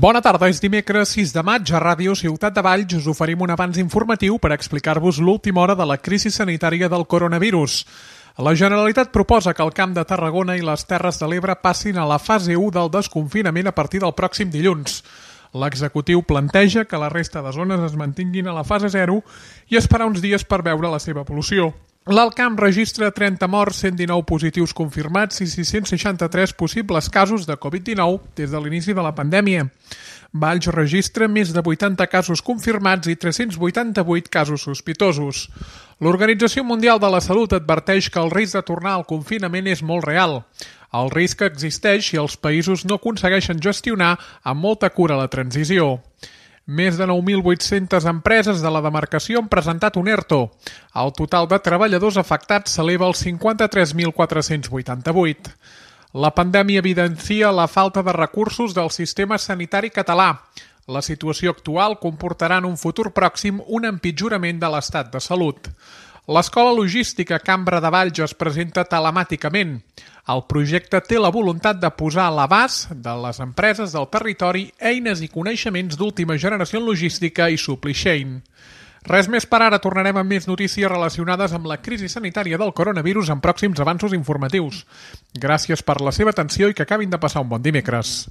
Bona tarda, és dimecres 6 de maig. A Ràdio Ciutat de Valls us oferim un avanç informatiu per explicar-vos l'última hora de la crisi sanitària del coronavirus. La Generalitat proposa que el Camp de Tarragona i les Terres de l'Ebre passin a la fase 1 del desconfinament a partir del pròxim dilluns. L'executiu planteja que la resta de zones es mantinguin a la fase 0 i esperar uns dies per veure la seva evolució. L'Alt Camp registra 30 morts, 119 positius confirmats i 663 possibles casos de Covid-19 des de l'inici de la pandèmia. Valls registra més de 80 casos confirmats i 388 casos sospitosos. L'Organització Mundial de la Salut adverteix que el risc de tornar al confinament és molt real. El risc existeix si els països no aconsegueixen gestionar amb molta cura la transició. Més de 9.800 empreses de la demarcació han presentat un ERTO. El total de treballadors afectats s'eleva als 53.488. La pandèmia evidencia la falta de recursos del sistema sanitari català. La situació actual comportarà en un futur pròxim un empitjorament de l'estat de salut. L'Escola Logística Cambra de Valls es presenta telemàticament. El projecte té la voluntat de posar a l'abast de les empreses del territori eines i coneixements d'última generació en logística i supply chain. Res més per ara, tornarem amb més notícies relacionades amb la crisi sanitària del coronavirus en pròxims avanços informatius. Gràcies per la seva atenció i que acabin de passar un bon dimecres.